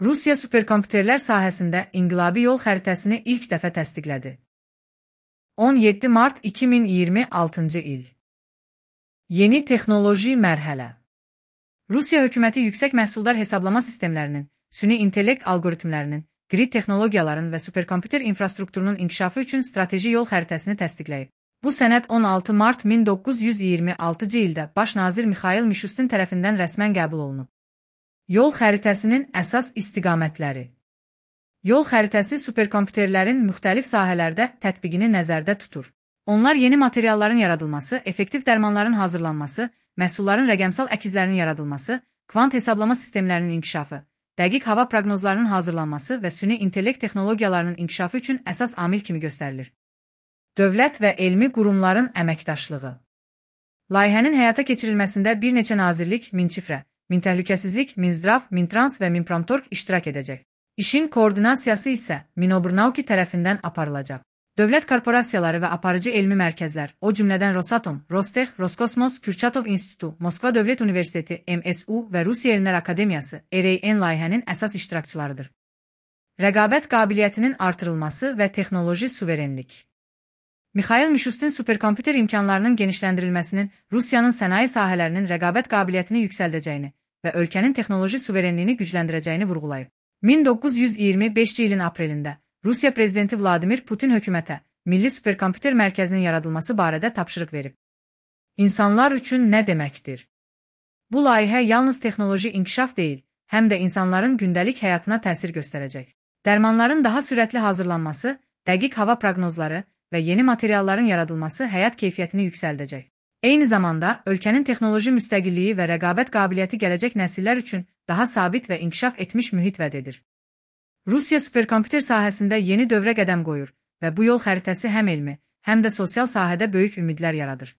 Rusiya superkompüterlər sahəsində inqilabi yol xəritəsini ilk dəfə təsdiqlədi. 17 mart 2026 il. Yeni texnoloji mərhələ. Rusiya hökuməti yüksək məhsuldar hesablama sistemlərinin, süni intellekt algoritmlərinin, grid texnologiyaların və superkompüter infrastrukturunun inkişafı üçün strateji yol xəritəsini təsdiqləyib. Bu sənəd 16 mart 1926 ildə baş nazir Mikhail Mishustin tərəfindən rəsmən qəbul olunub. Yol xəritəsinin əsas istiqamətləri. Yol xəritəsi superkompüterlərin müxtəlif sahələrdə tətbiqini nəzərdə tutur. Onlar yeni materialların yaradılması, effektiv dərmanların hazırlanması, məhsulların rəqəmsal əkizlərinin yaradılması, kvant hesablama sistemlərinin inkişafı, dəqiq hava proqnozlarının hazırlanması və süni intellekt texnologiyalarının inkişafı üçün əsas amil kimi göstərilir. Dövlət və elmi qurumların əməkdaşlığı. Layihənin həyata keçirilməsində bir neçə nazirlik, Minçifrə, Mintəhlükəsizlik, Minzdrav, Mintrans və Minpramtorg iştirak edəcək. İşin koordinasiyası isə Minobrnauki tərəfindən aparılacaq. Dövlət korporasiyaları və aparıcı elmi mərkəzlər, o cümlədən Rosatom, Rostex, Roskosmos, Kürçatov İnstitutu, Moskva Dövlət Universiteti, MSU və Rusiya Elmlər Akademiyası, RAN layihənin əsas iştirakçılarıdır. Rəqabət qabiliyyətinin artırılması və texnoloji suverenlik. Mikhail Mishustin superkompüter imkanlarının genişləndirilməsinin Rusiyanın sənaye sahələrinin rəqabət qabiliyyətini yüksəldəcəyini və ölkənin texnoloji suverenliyini gücləndirəcəyini vurğulayıb. 1925 ilin aprelində Rusiya prezidenti Vladimir Putin hökumətə Milli Superkompüter Mərkəzinin yaradılması barədə tapşırıq verib. İnsanlar üçün nə deməkdir? Bu layihə yalnız texnoloji inkişaf deyil, həm də insanların gündəlik həyatına təsir göstərəcək. Dərmanların daha sürətli hazırlanması, dəqiq hava proqnozları və yeni materialların yaradılması həyat keyfiyyətini yüksəldəcək. Eyni zamanda, ölkənin texnoloji müstəqilliyi və rəqabət qabiliyyəti gələcək nəsillər üçün daha sabit və inkişaf etmiş mühit vəd edir. Rusiya superkompüter sahəsində yeni dövrə qədəm qoyur və bu yol xəritəsi həm elmi, həm də sosial sahədə böyük ümidlər yaradır.